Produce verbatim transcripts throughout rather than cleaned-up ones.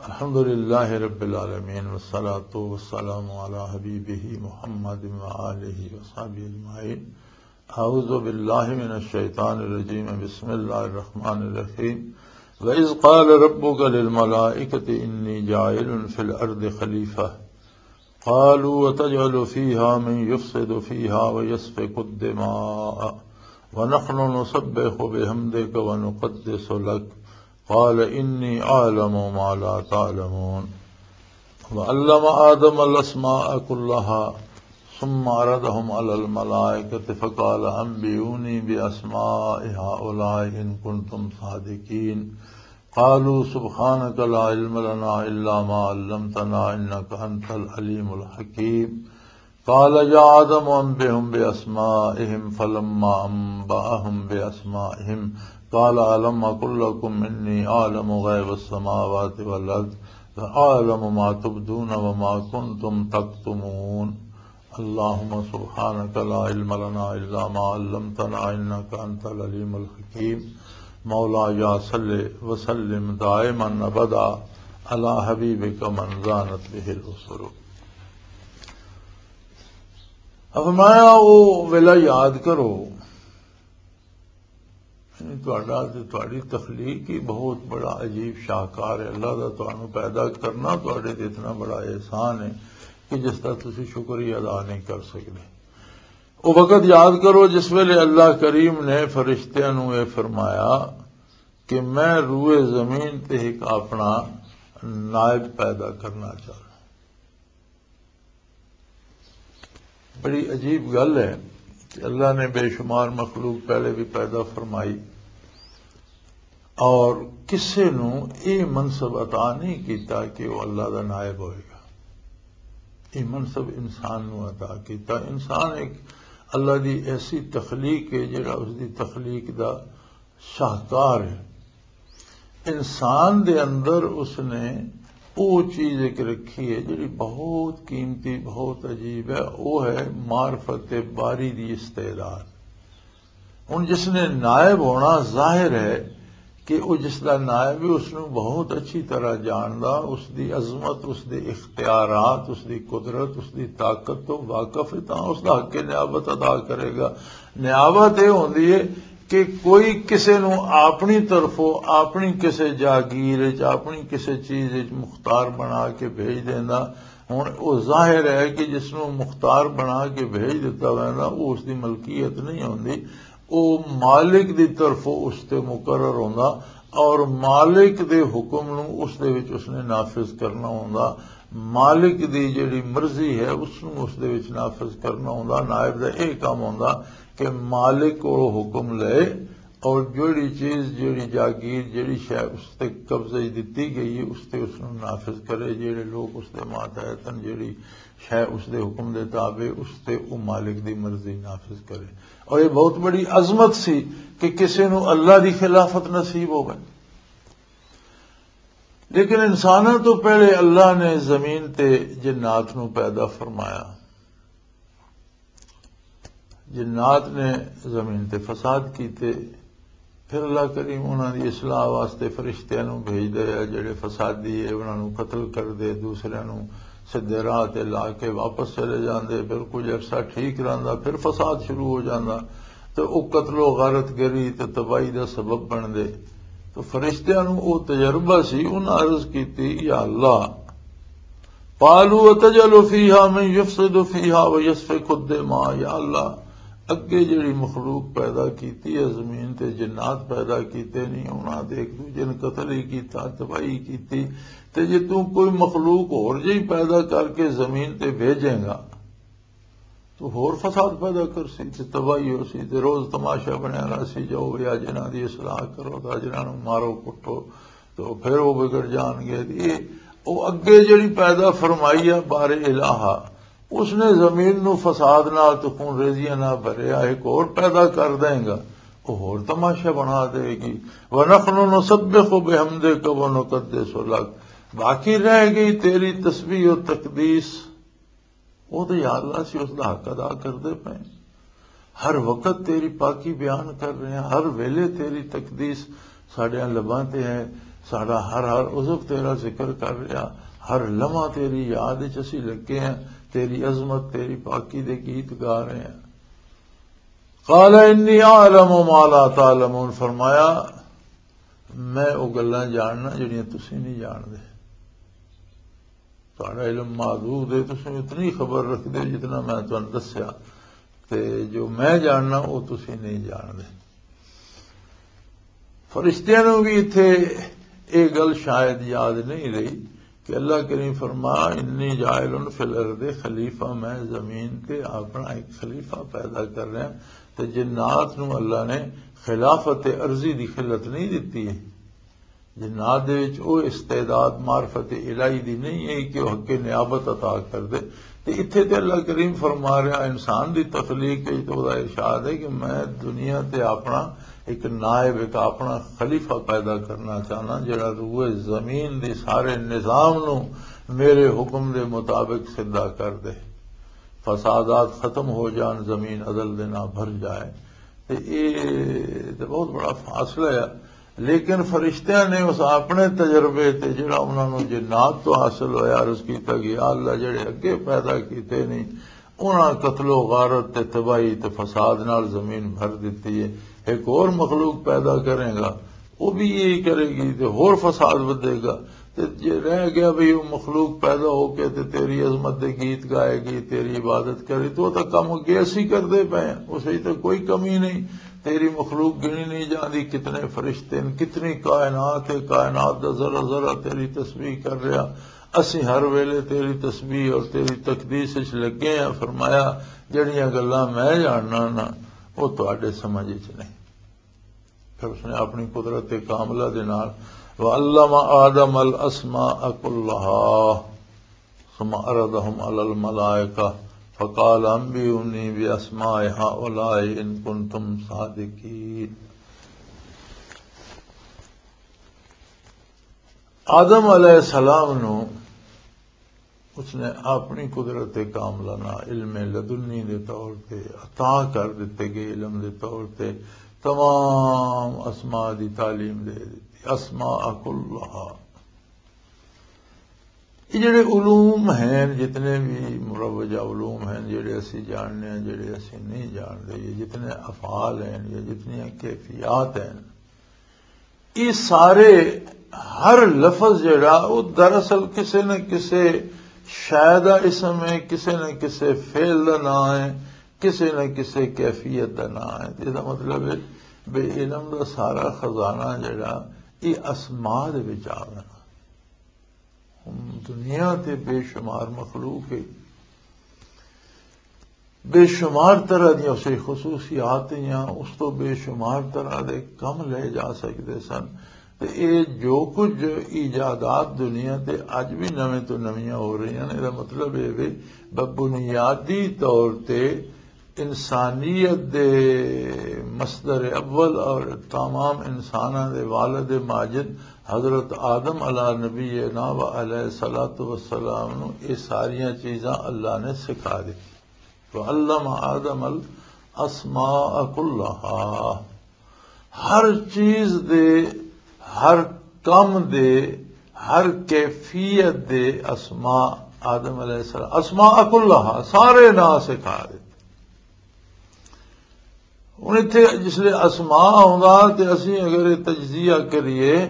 الحمد لله رب العالمين، والصلاة والسلام على حبيبه محمد وآله وصحبه أجمعين. أعوذ بالله من الشيطان الرجيم. بسم الله الرحمن الرحيم. وإذ قال ربك للملائكة إني جاعل في الأرض خليفة. قالوا وتجعل فيها من يفسد فيها ويسفك الدماء ونحن نسبح بحمدك ونقدس لك. قال إني أعلم ما لا تعلمون. وعلم آدم الأسماء كلها ثم عرضهم على الملائكة فقال أنبئوني بأسماء هؤلاء إن كنتم صادقين. قالوا سبحانك لا علم لنا إلا ما علمتنا إنك أنت العليم الحكيم. قال يا آدم أنبئهم بأسمائهم فلما أنبأهم بأسمائهم قال ألم أقل لكم إني أعلم غيب السماوات والأرض وأعلم ما تبدون وما كنتم تكتمون. اللهم سبحانك لا علم لنا إلا ما علمتنا إنك أنت العليم الحكيم. مولاي صل وسلم دائما أبدا على حبيبك من زانت به الأسر. فرمایا، او ویلا یاد کرو، یعنی تہاڈا تے تہاڈی تخلیق ہی بہت بڑا عجیب شاہکار ہے۔ اللہ دا تہانوں پیدا کرنا تہاڈے تے اتنا بڑا احسان ہے کہ جس دا تسی شکر ہی ادا نہیں کر سکدے۔ او وقت یاد کرو جس ویلے اللہ کریم نے فرشتیاں نوں اے فرمایا کہ میں روئے زمین تے ایک اپنا نائب پیدا کرنا چاہنا۔ بڑی عجیب گل ہے کہ اللہ نے بے شمار مخلوق پہلے بھی پیدا فرمائی اور کسے نو یہ منصب عطا نہیں کیتا کہ وہ اللہ دا نائب ہوئے گا۔ یہ منصب انسان نو عطا کیتا۔ انسان ایک اللہ دی ایسی تخلیق ہے جڑا اس دی تخلیق دا شاہکار ہے۔ انسان دے اندر اس نے وہ چیز ایک رکھی ہے جڑی بہت قیمتی، بہت عجیب ہے، وہ ہے معرفت باری دی استعداد۔ ہن جس نے نائب ہونا، ظاہر ہے کہ وہ جس دا نائب ہے اس نو بہت اچھی طرح جاندا، اس دی عظمت، اس دے اختیارات، اس دی قدرت، اس دی طاقت تو واقف ہے، تاں اس دا حق نیابت ادا کرے گا۔ نیابت یہ ہوندی ہے کہ کوئی کسے نو اپنی طرفوں، اپنی کسے جاگیر وچ، اپنی کسے چیز وچ مختار بنا کے بھیج دیندا۔ ہن او ظاہر ہے کہ جس نو مختار بنا کے بھیج دتا ویندا، او اس دی ملکیت نہیں ہوندی، او مالک دی طرفوں اس تے مقرر ہوندا اور مالک دے حکم نو اس دے وچ اس نے نافذ کرنا ہوندا۔ مالک دی جڑی مرضی ہے اس نو اس دے وچ نافذ کرنا ہوندا۔ نائب دا اے کام ہوندا کہ مالک کولوں حکم لے اور جڑی چیز، جڑی جاگیر، جڑی شے اس تے قبضے وچ دتی گئی ہے، اس تے اس نو نافذ کرے۔ جڑے لوگ اس دے ماتحت ہن، جڑی شے اس دے حکم دے تابع، اس تے او مالک دی مرضی نافذ کرے۔ اور یہ بہت بڑی عظمت سی کہ کسی نو اللہ دی خلافت نصیب ہوے۔ لیکن انساناں تو پہلے اللہ نے زمین تے جنات نو پیدا فرمایا۔ جنات نے زمین تے فساد کیتے، پھر اللہ کریم انہاں دی اصلاح واسطے فرشتیاں نو بھیج دے، جڑے فسادی ہے انہاں نو قتل کر دے، دوسریاں نو سدھے راہ تے لا کے واپس چلے جاندے۔ پھر کچھ عرصہ ٹھیک رہندا، پھر فساد شروع ہو جاندا تے او قتل و غارت گری تے تباہی دا سبب بن دے۔ تو فرشتیاں نو او تجربہ سی، انہاں عرض کیتی، یا اللہ، قالوا وتجعل فيها من يفسد فيها ويسفك الدماء، یا اللہ، اگے جڑی مخلوق پیدا کیتی ہے زمین تے، جنات پیدا کیتے نہیں، انہاں دے ایک دوجے نے قتل ہی کیتا، تباہی کیتی، تے جے تو کوئی مخلوق اور جہی پیدا کر کے زمین تے بھیجیں گا تو ہور فساد پیدا کرسی تے تباہی ہوسی تے روز تماشا بنیا رہسی، جاؤ یا جنہاں دی اصلاح کرو، تا جنہاں نوں مارو کٹو، تو پھر وہ بگڑ جان گے۔ یہ، وہ اگے جڑی پیدا فرمائی ہے بار الہا، اس نے زمین نو فساد نال تے خون ریزیاں نال بھریا، ایک اور پیدا کر دیں گا، وہ ہور تماشا بنا دے گی۔ وَنَحْنُ نُسَبِّحُ بِحَمْدِكَ وَنُقَدِّسُ لَكَ، باقی رہ گئی تیری تسبیح و تقدیس۔ وہ تو یا اللہ سی اس دا حق ادا کردے پئے۔ ہر وقت تیری پاکی بیان کر رہے ہیں، ہر ویلے تیری تقدیس ساڈیاں لباں تے ہے، ساڈا ہر ہر عضو تیرا ذکر کر رہا، ہر لمحہ تیری یاد وچ اسی لگے ہیں، تیری عظمت، تیری پاکی دے گیت گا رہے ہیں۔ قال انی اعلم ما لا تعلمون، فرمایا، میں او گلاں جاننا جڑیاں تسی نہیں جاندے۔ تہاڈا علم محدود ہے، تسی اتنی خبر رکھدے ہو جتنا میں تانوں دسیا، تے جو میں جاننا، او تسی نہیں جاندے۔ فرشتیاں نوں بھی اتھے یہ گل شاید یاد نہیں رہی کہ اللہ کریم فرمایا، "انی جاعل فی الارض خلیفہ"، میں زمین تے اپنا ایک خلیفہ پیدا کر رہا۔ تے جنات نوں اللہ نے خلافت ارضی دی خلت نہیں دتی ہے۔ جنات دے وچ او استعداد معرفت الہی دی نہیں ہے کہ او حق نیابت عطا کر دے۔ تے اتھے تے اللہ کریم فرما رہا، انسان دی تخلیق وچ تے او دا ارشاد ہے کہ میں دنیا تے اپنا ایک نائب، ایک اپنا خلیفہ پیدا کرنا چاہنا، جڑا روئے زمین دی سارے نظام نو میرے حکم دے مطابق سدھا کر دے، فسادات ختم ہو جان، زمین عدل دے نال بھر جائے۔ تے اے تے بہت بڑا فاصلہ ہے۔ لیکن فرشتیاں نے اس اپنے تجربے تے، جڑا انہاں نوں جنات تو حاصل ہویا، عرض کیتا کہ یا اللہ، جڑے اگے پیدا کیتے نہیں، انہاں قتل و غارت تے تباہی تے فساد نال زمین بھر دتی ہے۔ ایک اور مخلوق پیدا کریں گا، وہ بھی یہی کرے گی تے ہور فساد ودے گا۔ تے جے رہ گیا بھئی، وہ مخلوق پیدا ہو کے تے تیری عظمت دے گیت گائے گی، تیری عبادت کرے، تو وہ تو کم اگے اسی کردے پئے ہیں، اس وچ تو کوئی کمی نہیں۔ تیری مخلوق گنی نہیں جاندی، کتنے فرشتے ہیں، کتنی کائنات ہے، کائنات دا ذرا ذرا تیری تسبیح کر رہا۔ اسی ہر ویلے تیری تسبیح اور تیری تقدیس وچ لگے ہیں۔ فرمایا، جڑیاں گلاں میں جاننا نا، وہ تہاڈے سمجھ وچ نہیں۔ پھر اس نے اپنی قدرت کاملہ دے نال، "وعلم آدم الاسماء كلها ثم عرضهم على الملائكة فقال انبئوني باسماء هؤلاء ان كنتم صادقين۔" آدم علیہ السلام نو اس نے اپنی قدرت کاملہ نال علم لدنی دے طور تے، عطا کر دتے گئے علم دے طور تے، تمام اسماء دی تعلیم دے دتی، اسماء کلہا۔ یہ جڑے علوم ہیں، جتنے بھی مروجہ علوم ہیں، جڑے اسی جاننے ہیں، جڑے اسی نہیں جانتے، یہ جتنے افعال ہیں، یہ جتنی کیفیات ہیں، یہ سارے، ہر لفظ جڑا، وہ دراصل کسے نہ کسے شے دا اسم ہے، کسے نہ کسے فعل دا نام ہے، کسے نہ کسے کیفیت دا نام ہے۔ تے اس دا مطلب ہے بے علم دا سارا خزانہ جڑا، یہ اسماء دے وچ آ گیا۔ ہن دنیا تے بے شمار مخلوق ہے، بے شمار طرح دیاں اسے خصوصیات ہیں، اس تو بے شمار طرح دے کم لے جا سکدے سن۔ تے اے جو کچھ ایجادات دنیا تے اج بھی نویں تو نویاں ہو رہی ہیں، اے دا مطلب اے وے بنیادی طور تے انسانیت دے مصدر اول اور تمام انساناں دے والد ماجد حضرت آدم علی نبینا و علیہ الصلوۃ والسلام نو اے ساریاں چیزاں اللہ نے سکھا دتی۔ وعلم آدم الاسماء کلہا، ہر چیز دے، ہر کم دے، ہر کیفیت دے اسماء آدم علیہ السلام، اسماء کلہا، سارے ناں سکھا دتے۔ ہن اتھے جس لے اسماء آوندا تے اسی اگر یہ تجزیہ کریے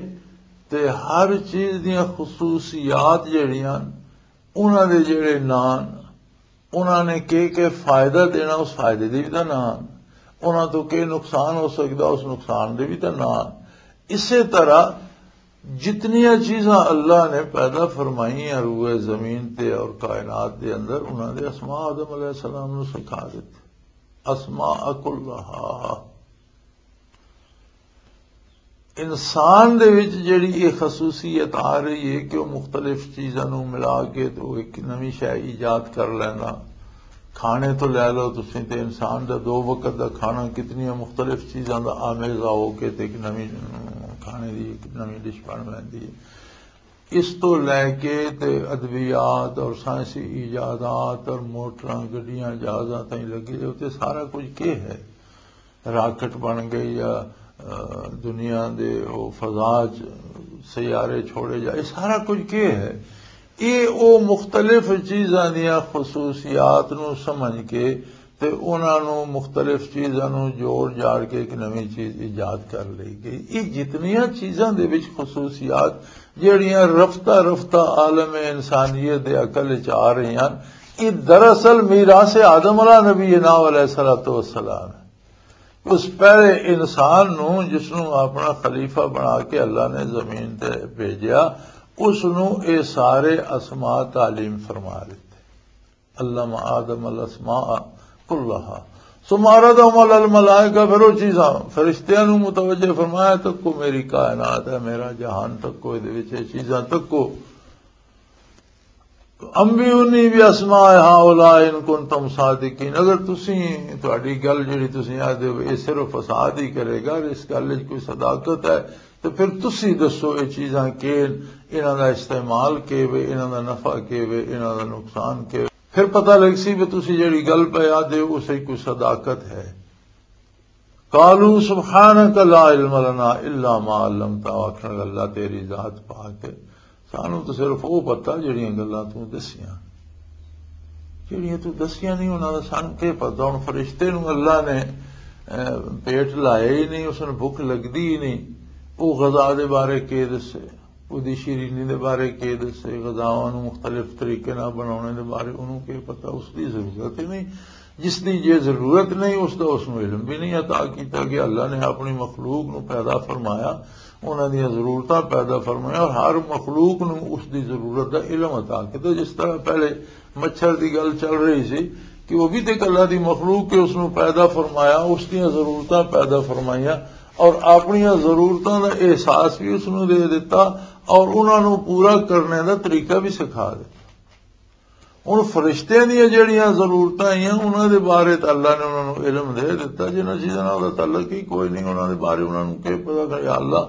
تے ہر چیز دیاں خصوصیات جڑیاں، انہاں دے جڑے ناں، انہاں نے کہ کہ فائدہ دینا، اس فائدے دے بھی تاں ناں، انہاں تو کہ نقصان ہو سکدا، اس نقصان دے بھی تاں ناں۔ اسے طرح جتنیاں چیزاں اللہ نے پیدا فرمائیاں روئے زمین تے اور کائنات دے اندر، انہاں دے اسماء آدم علیہ السلام نو سکھا دتے۔ اسماء کلہا۔ انسان دے وچ جڑی یہ خصوصیت آ رہی ہے کہ وہ مختلف چیزاں نو ملا کے تے وہ ایک نویں شے ایجاد کر لیندا۔ کھانے تو لے لو تسی تے انسان دا دو وقت دا کھانا کتنی مختلف چیزاں دا آمیزہ ہو کے تے ایک نویں کھانے دی ایک نویں ڈش بن لیندی ہے۔ اس تو لے کے تے ادویات اور سائنسی ایجادات اور موٹراں، گڈیاں، جہازاں تائیں لگے ہوتے، سارا کچھ کے ہے؟ راکٹ بن گئے یا، آ، دنیا دے او فضا چ سیارے چھوڑے جا، یہ سارا کچھ کیا ہے؟ یہ او مختلف چیزاں دیاں خصوصیات نو سمجھ کے تے انہاں نو مختلف چیزاں نو جوڑ جاڑ کے ایک نویں چیز ایجاد کر لئی گئی۔ یہ جتنیاں چیزاں دے وچ خصوصیات جڑیاں رفتہ رفتہ عالم انسانیت دے عقل وچ آ رہی ہیں، یہ دراصل میراث آدم علیہ نبی نا علیہ الصلوۃ والسلام ہے۔ اس پہلے انسان نو، جس نو اپنا خلیفہ بنا کے اللہ نے زمین تے بھیجیا، اس نو اے سارے اسماء تعلیم فرما دیتے۔ علم آدم الاسماء کلہا ثم عرضهم علی الملائکہ، پھر وہ چیزاں فرشتیاں نو متوجہ فرمایا، تکو میری کائنات ہے، میرا جہان تکو، اے دے وچ اے چیزاں تکو۔ انبئونی باسماء ہؤلاء ان کنتم صادقین، اگر تسی، تہاڈی گل جڑی تسی آدھے ہو، یہ صرف فساد ہی کرے گا، اس گل وچ کوئی صداقت ہے، تو پھر تسی دسو، یہ چیزاں کین، انہاں دا استعمال کے وے، انہاں دا نفع کے وے، انہاں دا نقصان کے وے۔ پھر پتہ لگ سی بھی تسی جڑی گل پہ آدھے ہو، اس وچ کوئی صداقت ہے۔ قالوا سبحانک لا علم لنا الا ما علمتنا، آکھن لگا، اللہ تیری ذات پاک ہے، سانو تو صرف وہ پتہ جڑیاں گلاں تو دسیاں، جڑیاں تو دسیاں نہیں، انہاں دا سانو کی پتہ؟ ہن فرشتے نو اللہ نے، اے، پیٹ لایا ہی نہیں، اس نوں بھوک لگدی ہی نہیں، وہ غذا دے بارے کی دسے؟ اودی شیرینی دے بارے کی دسے؟ غذاواں نوں مختلف طریقے نال بناونے دے بارے انہوں کی پتہ؟ اس دی ضرورت ہی نہیں۔ جس دی جے ضرورت نہیں، اس دا اس نوں علم بھی نہیں عطا کیتا کہ اللہ نے اپنی مخلوق نوں پیدا فرمایا، انہاں دیاں ضرورتاں پیدا فرمائیاں اور ہر مخلوق نوں اس دی ضرورت دا علم عطا کیتا۔ جس طرح پہلے مچھر دی گل چل رہی سی کہ وہ بھی تے اللہ دی مخلوق کے اس نوں پیدا فرمایا، اس دیاں ضرورتاں پیدا فرمائیاں اور اپنیاں ضرورتاں دا احساس بھی اس نوں دے دتا اور انہاں نوں پورا کرنے دا طریقہ بھی سکھا دتا۔ ہن فرشتیاں دیاں جڑیاں ضرورتاں آئیاں، انہاں دے بارے تے اللہ نے انہاں نوں علم دے دتا، جنہاں چیزاں نال دا تعلق ہی کوئی نہیں، انہاں دے بارے انہاں نوں کی پتہ کہ یا اللہ،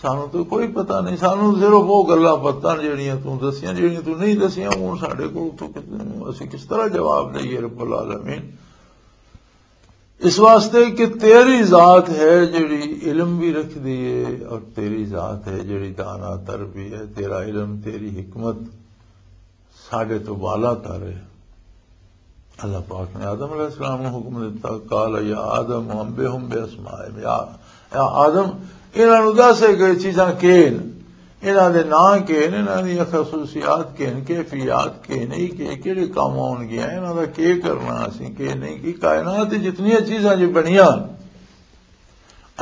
سانوں تو کوئی پتہ نہیں، سانوں صرف وہ گلاں پتہ نے جڑیاں تو دسیاں، جڑیاں تو نہیں دسیاں، وہ ساڈے کول تو کت-، اسی کس طرح جواب دئیے رب العالمین؟ اس واسطے کہ تیری ذات ہے جڑی علم بھی رکھ دیے اور تیری ذات ہے جڑی دانا تر بھی ہے، تیرا علم، تیری حکمت ساڈے تو بالا تر ہے۔ اللہ پاک نے آدم علیہ السلام نوں حکم دیتا، قال یا آدم انبئہم باسمائہم، یا، یا آدم، انہاں نوں دس کہ چیزاں کی نے، انہاں دے ناں کی نے، انہاں دی خصوصیات کی نے، کیفیات کی نے، کہ کیڑے کام آن گیا، انہاں دا کی کرنا اسی، کی نہیں، کہ کائنات دی جتنیاں چیزاں جو بنیاں،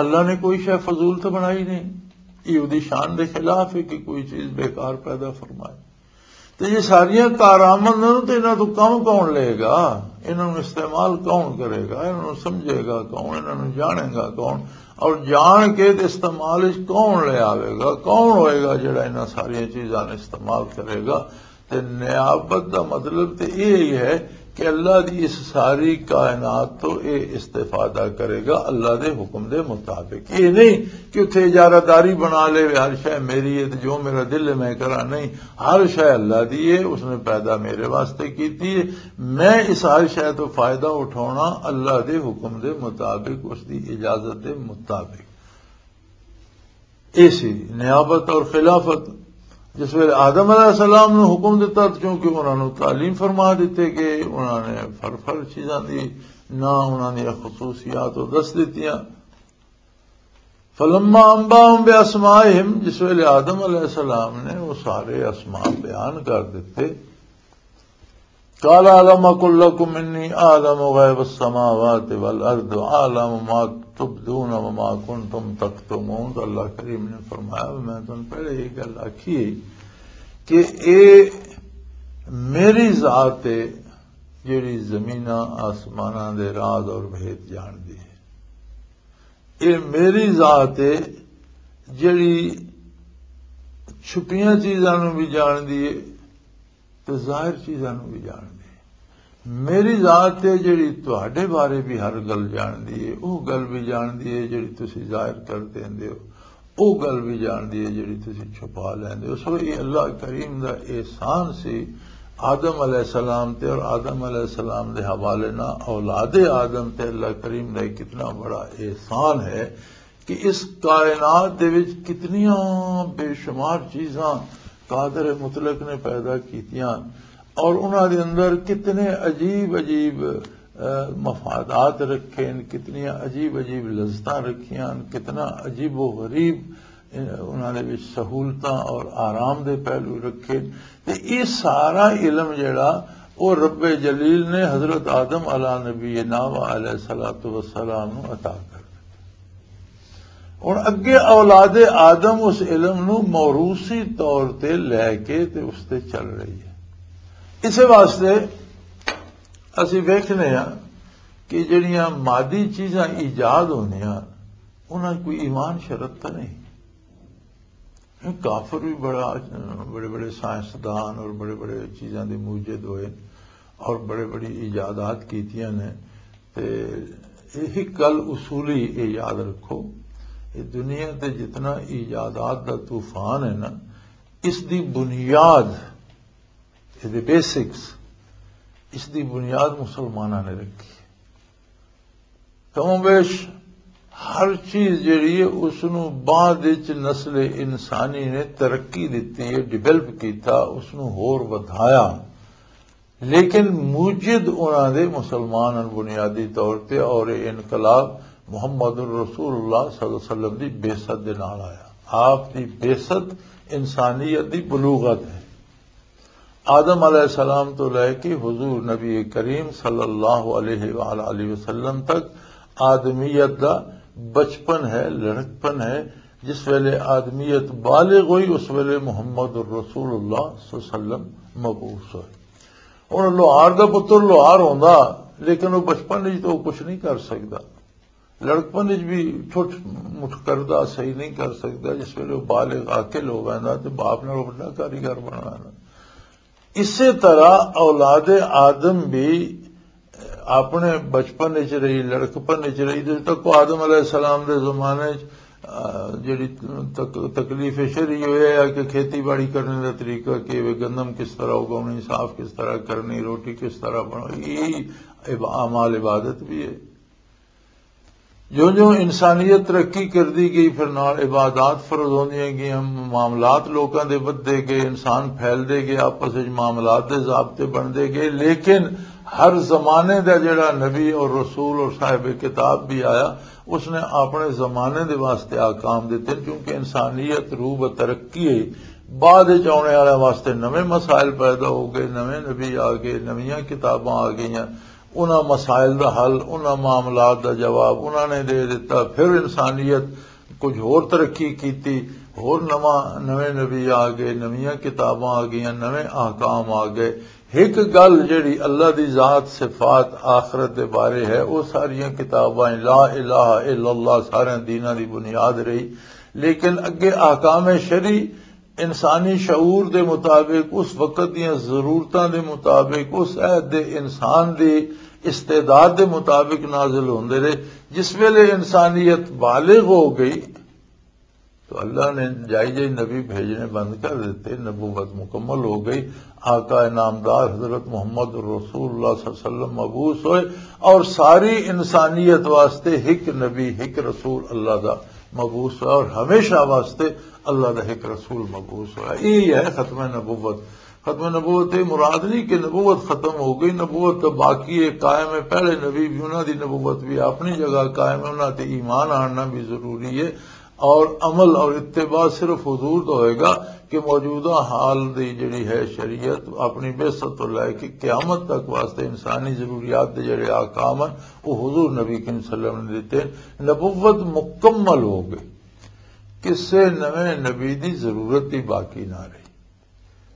اللہ نے کوئی شے فضول تو بنائی نہیں۔ یہ اودی شان دے خلاف ہے کہ کوئی چیز بیکار پیدا فرمائے۔ تو یہ ساریاں کارآمد نے، تو انہاں تو کم کون لے گا؟ انہاں نوں استعمال کون کرے گا؟ انہاں نوں سمجھے گا کون؟ انہاں نوں جانے گا کون؟ اور جان کے تے استعمال وچ کون لے آوے گا؟ کون ہوئے گا جڑا انہاں ساریاں چیزاں نوں استعمال کرے گا؟ تے نیابت دا مطلب تے یہ ہی ہے کہ اللہ دی اس ساری کائنات تو اے استفادہ کرے گا اللہ دے حکم دے مطابق۔ یہ نہیں کہ اتھے اجارہ داری بنا لے، ہر شے میری ہے تے جو میرا دل ہے میں کراں، نہیں، ہر شے اللہ دی ہے، اس نے پیدا میرے واسطے کیتی ہے، میں اس ہر شے تو فائدہ اٹھاونا اللہ دے حکم دے مطابق، اس دی اجازت دے مطابق۔ اے سی نیابت اور خلافت۔ جس ویلے آدم علیہ السلام نو حکم دتا، تو چونکہ انہاں نو تعلیم فرما دیتے گئے، انہاں نے فر فر چیزاں دی نہ انہاں دی خصوصیات او دس دتیاں۔ فلما انباهم باسمائهم، جس ویلے آدم علیہ السلام نے وہ سارے اسماء بیان کر دیتے، قال الم اقل لكم انی اعلم غیب السماوات والارض واعلم ما تبدون وما کنتم تکتمون۔ تو اللہ کریم نے فرمایا، میں تم پہلے یہ گل آکھی کہ اے میری ذات ہے جڑی زمیناں آسماناں دے راز اور بھید جان دی ہے۔ اے میری ذات ہے جڑی چھپیاں چیزاں نوں بھی جان دی ہے تے ظاہر چیزاں نوں بھی جان دی ہے۔ میری ذات ہے جڑی تہاڈے بارے بھی ہر گل جان دی ہے، او گل بھی جان دی ہے جڑی تسی ظاہر کر دیندے ہو، او گل بھی جان دی ہے جڑی تسی چھپا لیندے ہو۔ سو یہ اللہ کریم دا احسان سی آدم علیہ السلام تے، اور آدم علیہ السلام دے حوالے نہ اولاد آدم تے اللہ کریم دا ایک کتنا بڑا احسان ہے کہ اس کائنات دے وچ کتنیاں بے شمار چیزاں قادر مطلق نے پیدا کیتیاں اور انہاں دے اندر کتنے عجیب عجیب، اہ، مفادات رکھے، کتنیاں عجیب عجیب لذتاں رکھیاں، کتنا عجیب و غریب انہاں دے وچ سہولتاں اور آرام دے پہلو رکھے۔ تے یہ سارا علم جڑا، او رب جلیل نے حضرت آدم علی نبینا و علیہ الصلوۃ والسلام نو عطا کر دتا۔ ہن اگے اولاد آدم اس علم نو موروثی طور تے لے کے تے اس تے چل رہی ہے۔ اسے واسطے اسی ویکھنے ہاں کہ جڑیاں مادی چیزاں ایجاد ہوندیاں، انہاں کوئی ایمان شرط تاں نہیں۔ کافر بھی بڑا، بڑے بڑے سائنسدان اور بڑے بڑے چیزاں دے موجد ہوئے اور بڑے بڑی ایجادات کیتیاں نے۔ تے ایہی گل اصولی، اے یاد رکھو، اے دنیا تے جتنا ایجادات دا طوفان ہے نا، اس دی بنیاد، اے دے بیسکس، اس دی بنیاد مسلماناں نے رکھی۔ کم و بیش ہر چیز جڑی ہے، اس نو بعد وچ نسل انسانی نے ترقی دتی ہے، ڈیولپ کیتا، اس نو ہور ودھایا۔ لیکن موجد انہاں دے مسلمان ہن بنیادی طور تے، اور یہ انقلاب محمد الرسول اللہ صلی اللہ علیہ وسلم دی بعثت دے نال آیا۔ آپ دی بعثت انسانیت دی بلوغت ہے۔ آدم علیہ السلام تو لے کے حضور نبی کریم صلی اللہ علیہ وآلہ وسلم تک آدمیت دا بچپن ہے، لڑکپن ہے۔ جس ویلے آدمیت بالغ ہوئی، اس ویلے محمد الرسول اللہ صلی اللہ علیہ وسلم مبعوث ہوئے۔ ہن لوہار دا پتر لوہار ہوندا، لیکن وہ بچپن وچ تو کچھ نہیں کر سکدا۔ لڑکپن وچ بھی چھوٹ مٹھ کردا، صحیح نہیں کر سکدا۔ جس ویلے وہ بالغ عاقل ہو ویندا تے باپ نال وڈا کاریگر بن ویندا۔ اسی طرح اولاد آدم بھی اپنے بچپن وچ رہی، لڑکپن وچ رہی، جدوں تک وہ آدم علیہ السلام دے زمانے وچ، آ، جڑی تک-، تکلیف شرعی ہوئی ہے کہ کھیتی باڑی کرنے دا طریقہ کی ہے، گندم کس طرح اگاؤنی، صاف کس طرح کرنی، روٹی کس طرح بنائی، یہ عب-، اعمال عبادت بھی ہے۔ جو جو انسانیت ترقی کردی گئی، پھر نال عبادات فرض ہوندیاں گئیاں، معاملات لوکاں دے ودھدے گئے، انسان پھیلدے گئے، آپس وچ معاملات دے ضابطے بندے گئے، لیکن ہر زمانے دا جڑا نبی اور رسول اور صاحب کتاب بھی آیا، اس نے اپنے زمانے دے واسطے احکام دتے، کیونکہ انسانیت روح بترقی ہے۔ بعد وچ آنے والے واسطے نویں مسائل پیدا ہو گئے، نویں نبی آ گئے، نویاں کتاباں آ گئیاں، انہاں مسائل دا حل، انہاں معاملات دا جواب انہاں نے دے دتا۔ پھر انسانیت کچھ ہور ترقی کیتی، ہور نواں، نویں نبی آ گئے، نویاں کتاباں آ گئیاں، نویں احکام آ گئے۔ ایک گل جڑی اللہ دی ذات، صفات، آخرت دے بارے ہے، وہ ساریاں کتاباں لا الہ الا اللہ سارے دیناں دی بنیاد رہی۔ لیکن اگے احکام شرعی انسانی شعور دے مطابق، اس وقت دیاں ضرورتاں دے مطابق، اس عہد دے انسان دی استعداد دے مطابق نازل ہوندے رہے۔ جس ویلے انسانیت بالغ ہو گئی تو اللہ نے جائی جائی نبی بھیجنے بند کر دیتے، نبوت مکمل ہو گئی۔ آقا نامدار حضرت محمد رسول اللہ صلی اللہ علیہ وسلم مبعوث ہوئے اور ساری انسانیت واسطے ایک نبی، ایک رسول اللہ دا مبعوث ہوا اور ہمیشہ واسطے اللہ دا ایک رسول مبعوث ہوا۔ یہی ہے ختم نبوت۔ ختم نبوت یہ مراد نہیں کہ نبوت ختم ہو گئی، نبوت تو باقی ہے، قائم ہے۔ پہلے نبی بھی، انہاں دی نبوت بھی اپنی جگہ قائم ہے، انہاں تے ایمان آننا بھی ضروری ہے۔ اور عمل اور اتباع صرف حضور دا ہوئے گا کہ موجودہ حال دی جڑی ہے شریعت، اپنی بعثت تو لے کے قیامت تک واسطے انسانی ضروریات دے جڑے احکام ہیں، وہ حضور نبی کریم صلی اللہ علیہ وسلم نے دیتے ہیں۔ نبوت مکمل ہو گئی، کسے نویں نبی دی ضرورت ہی باقی نہ رہی،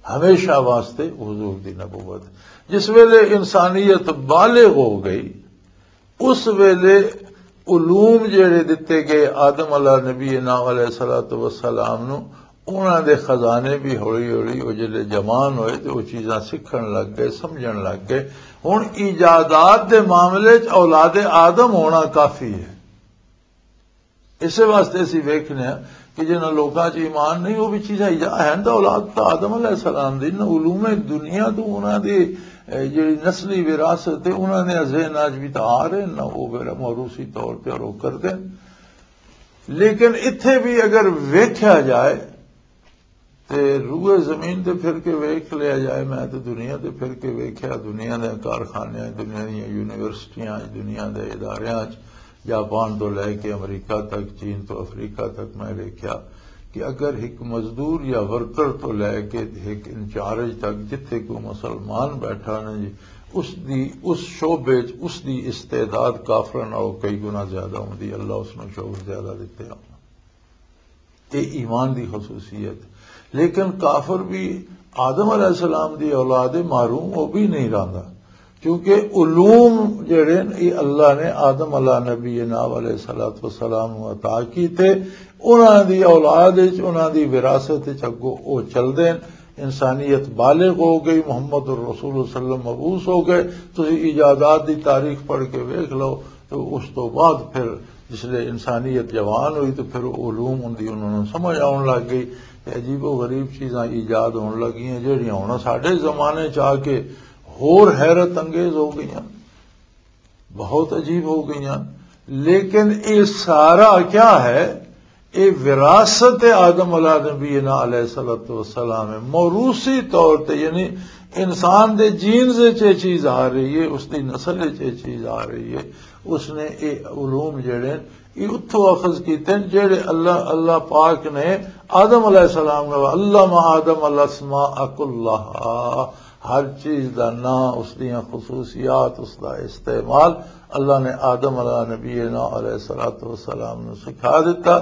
ہمیشہ واسطے حضور دی نبوت۔ جس ویلے انسانیت بالغ ہو گئی، اس ویلے علوم جڑے دتے گئے آدم علیہ نبی نا علیہ الصلوۃ والسلام نو، انہاں دے خزانے بھی ہولی ہولی وہ جڑے جوان ہوئے تے وہ چیزاں سیکھن لگ گئے، سمجھن لگ گئے۔ ہن ایجادات دے معاملے چ اولاد آدم ہونا کافی ہے۔ اسے واسطے اسی ویکھنے ہاں کہ جنہاں لوکاں چ ایمان نہیں، وہ بھی چیزاں ایجا-، ہیں تو اولاد تو آدم علیہ السلام دی، نہ علوم دنیا تو انہاں دی، اے، جڑی نسلی وراثت ہے، انہاں نے ذہن آج بھی تو آ رہے ہیں، نہ وہ میرا موروثی طور پہ روک کر دیں۔ لیکن اتھے بھی اگر ویکھیا جائے تے روئے زمین تے پھر کے ویکھ لیا جائے، میں تے دنیا تے پھر کے ویکھیا، دنیا دے کارخانے، دنیا دیاں یونیورسٹیاں، دنیا دے اداریاں، جاپان تو لے کے امریکہ تک، چین تو افریقہ تک میں ویکھیا کہ اگر ایک مزدور یا ورکر تو لے کے ایک انچارج تک جتھے کوئی مسلمان بیٹھا نا جی، اس دی، اس شعبے چ اس دی استعداد کافراں نالوں کئی گنا زیادہ ہوندی۔ اللہ اس نوں شعبہ زیادہ دتے ہوندے۔ یہ ایمان دی خصوصیت۔ لیکن کافر بھی آدم علیہ السلام دی اولاد ہے، محروم وہ بھی نہیں رہندا، کیونکہ علوم جڑے نے، یہ اللہ نے آدم علیہ نبی ناب علیہ الصلوۃ والسلام نوں عطا کیتے۔ انہاں دی اولاد وچ، انہاں دی وراثت وچ اگوں او چلدے نے۔ انسانیت بالغ ہو گئی، محمد الرسول صلی اللہ علیہ وسلم مبعوث ہو گئے۔ تسی ایجادات دی تاریخ پڑھ کے ویکھ لو، تو اس تو بعد پھر جس لے انسانیت جوان ہوئی تو پھر علوم ان دی انہوں نے سمجھ آن لگ گئی۔ تے عجیب و غریب چیزاں ایجاد ہون لگیاں، جہڑیاں ہن ساڈے زمانے چ آ کے ہور حیرت انگیز ہو گئیاں، بہت عجیب ہو گئیاں۔ لیکن یہ سارا کیا ہے؟ یہ وراثت آدم علیہ نبینا علیہ الصلوۃ والسلام ہے، موروثی طور تے، یعنی انسان دے جینز وچ یہ چیز آ رہی ہے، اس دی نسل وچ یہ چیز آ رہی ہے۔ اس نے یہ علوم جڑے یہ اتھوں اخذ کیتے ہیں، جڑے اللہ، اللہ پاک نے آدم علیہ السلام نے، علم آدم الاسماء کلہا، ہر چیز دا نام، اس دیاں خصوصیات، اس دا استعمال اللہ نے آدم علیہ نبینا علیہ الصلوۃ والسلام نوں سکھا دیتا۔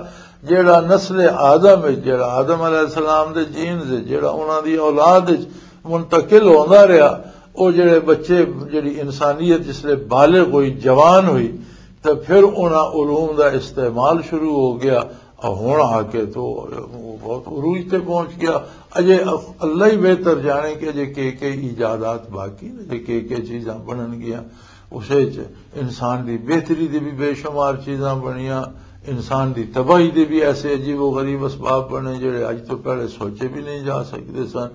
جڑا نسل آدم ہے، جڑا آدم علیہ السلام دے جینز ہے، جڑا انہاں دی اولاد وچ منتقل ہوندا رہیا، او جڑے بچے، جڑی انسانیت جس لے بالغ ہوئی، جوان ہوئی، تے پھر انہاں علوم دا استعمال شروع ہو گیا۔ اور ہن آ کے تو بہت عروج تے پہنچ گیا۔ اجے اللہ ہی بہتر جانے کہ اجے کے کے ایجادات باقی نے، اجے کے کے چیزاں بنن گیاں۔ اسے چ انسان دی بہتری دی بھی بے شمار چیزاں بنیاں، انسان دی تباہی دے بھی ایسے عجیب و غریب اسباب بنے جڑے اج تو پہلے سوچے بھی نہیں جا سکتے سن۔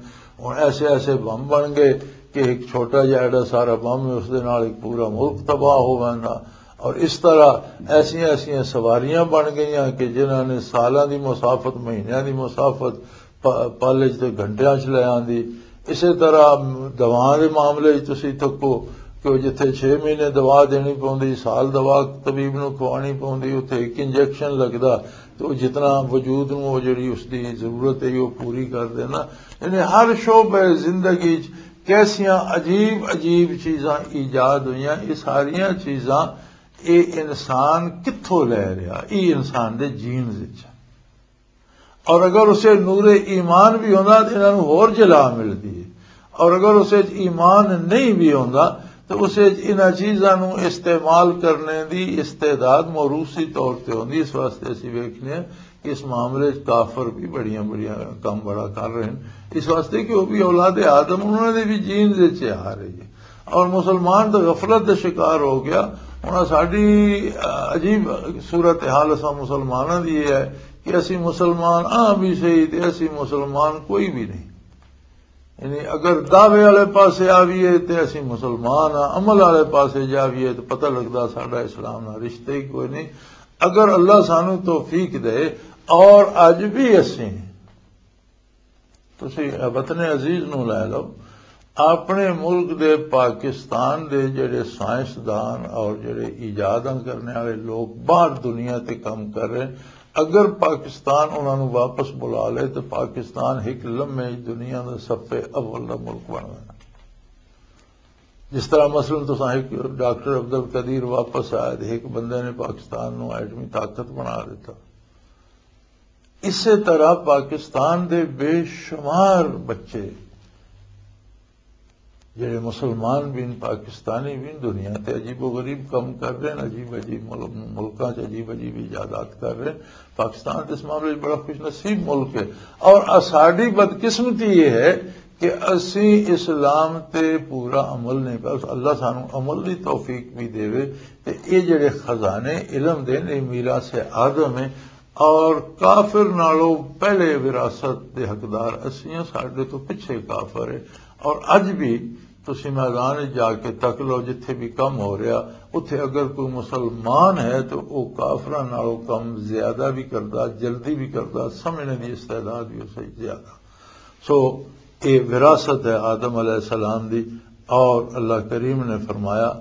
ہن ایسے ایسے بم بن گئے کہ ایک چھوٹا جہا ایڈا سارا بم ہے، اس دے نال ایک پورا ملک تباہ ہو ویندا۔ اور اس طرح ایسیاں ایسیاں سواریاں بن گئیاں کہ جنہاں نے سالاں دی مسافت، مہینیاں دی مسافت پ-، پل وچ تے گھنٹیاں وچ لے آندی۔ اسے طرح دواواں دے معاملے وچ تسی تکو کہ وہ جتھے چھ مہینے دوا دینی پوندی، سال دوا طبیب نوں کھوانی پوندی، اتھے ایک انجیکشن لگدا تے وہ جتنا وجود نوں وہ جڑی اس دی ضرورت ہے، وہ پوری کر دینا۔ یعنی ہر شعبے زندگی وچ کیسیاں عجیب عجیب چیزاں ایجاد ہوئیاں۔ یہ ساریاں چیزاں، یہ انسان کتھوں لے رہا؟ یہ انسان دے جینز وچ۔ اور اگر اسے نور ایمان بھی ہوندا تو انہاں نوں ہور جلا ملدی ہے۔ اور اگر اسے وچ ایمان نہیں بھی ہوندا تو اسے وچ انہاں چیزاں نوں استعمال کرنے دی استعداد موروثی طور تے ہوندی۔ اس واسطے اسی ویکھنے ہیں کہ اس معاملے وچ کافر بھی بڑیاں بڑیاں کم بڑا کر رہے ہیں، اس واسطے کہ وہ بھی اولاد آدم، انہوں نے بھی جینز وچ آ رہی ہے۔ اور مسلمان تو غفلت دا شکار ہو گیا۔ ہن ساڈی عجیب صورت حال اساں مسلماناں دی یہ ہے کہ اسی مسلمان آں بھی صحیح تے اسی مسلمان کوئی بھی نہیں۔ یعنی اگر دعوے والے پاسے آویے تے اسی مسلمان آں، عمل والے پاسے جاویے تے پتہ لگدا ساڈا اسلام نال رشتہ ہی کوئی نہیں۔ اگر اللہ سانو توفیق دے، اور اج بھی اسی، تسی وطن عزیز نو لے لو، اپنے ملک دے، پاکستان دے جڑے سائنسدان اور جڑے ایجاداں کرنے والے لوگ باہر دنیا تے کم کر رہے ہیں، اگر پاکستان انہاں نو واپس بلا لے تو پاکستان ایک لمحے دنیا دا صف اول دا ملک بن گیا۔ جس طرح مثلاً تساں ایک ڈاکٹر عبد القدیر واپس آیا تو ایک بندے نے پاکستان نو ایٹمی طاقت بنا دیتا، اسی طرح پاکستان دے بے شمار بچے جڑے مسلمان بھی ہیں، پاکستانی بھی ہیں، دنیا تے عجیب و غریب کم کر رہے ہیں، عجیب عجیب مل-، ملکاں چ عجیب عجیب ایجادات کر رہے ہیں۔ پاکستان تے اس معاملے میں بڑا خوش نصیب ملک ہے۔ اور ساڈی بدقسمتی یہ ہے کہ اسی اسلام تے پورا عمل نہیں پا، اللہ سانو عمل دی توفیق بھی دے۔ تے یہ جڑے خزانے علم دے نے، میراث آدم ہے، اور کافر نالوں پہلے وراثت دے حقدار اسی ہیں، ساڈے تو پچھے کافر ہے۔ اور اج بھی تسی میدان وچ جا کے تک لو، جتھے بھی کم ہو رہا، اتھے اگر کوئی مسلمان ہے تو وہ کافراں نالوں کم زیادہ بھی کردا، جلدی بھی کردا، سمجھنے دی استعداد بھی اسے زیادہ۔ سو، یہ وراثت ہے آدم علیہ السلام دی۔ اور اللہ کریم نے فرمایا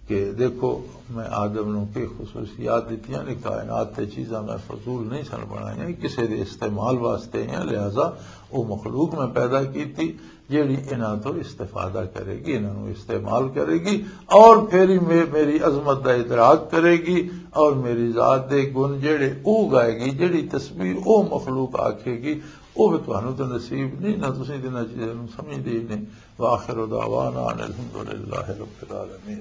کہ دیکھو، میں آدم نو کی خصوصیات دتیاں نے، کائنات تے چیزاں میں فضول نہیں سن بنائیاں، کسے دے استعمال واسطے ہیں، لہذا وہ مخلوق میں پیدا کیتی جیڑی انہاں تو استفادہ کرے گی، انہاں نو استعمال کرے گی، اور پھر ہی مے-، میری عظمت دا ادراک کرے گی، اور میری ذات دے گن جیڑے او گائے گی، جیڑی تسبیح او مخلوق آکھے گی، او بھی تانوں تے نصیب نہیں، نہ تسی تے نہ چیزاں نوں سمجھدے ہی نہیں۔ وآخر دعوانا ان الحمدللہ رب العالمین۔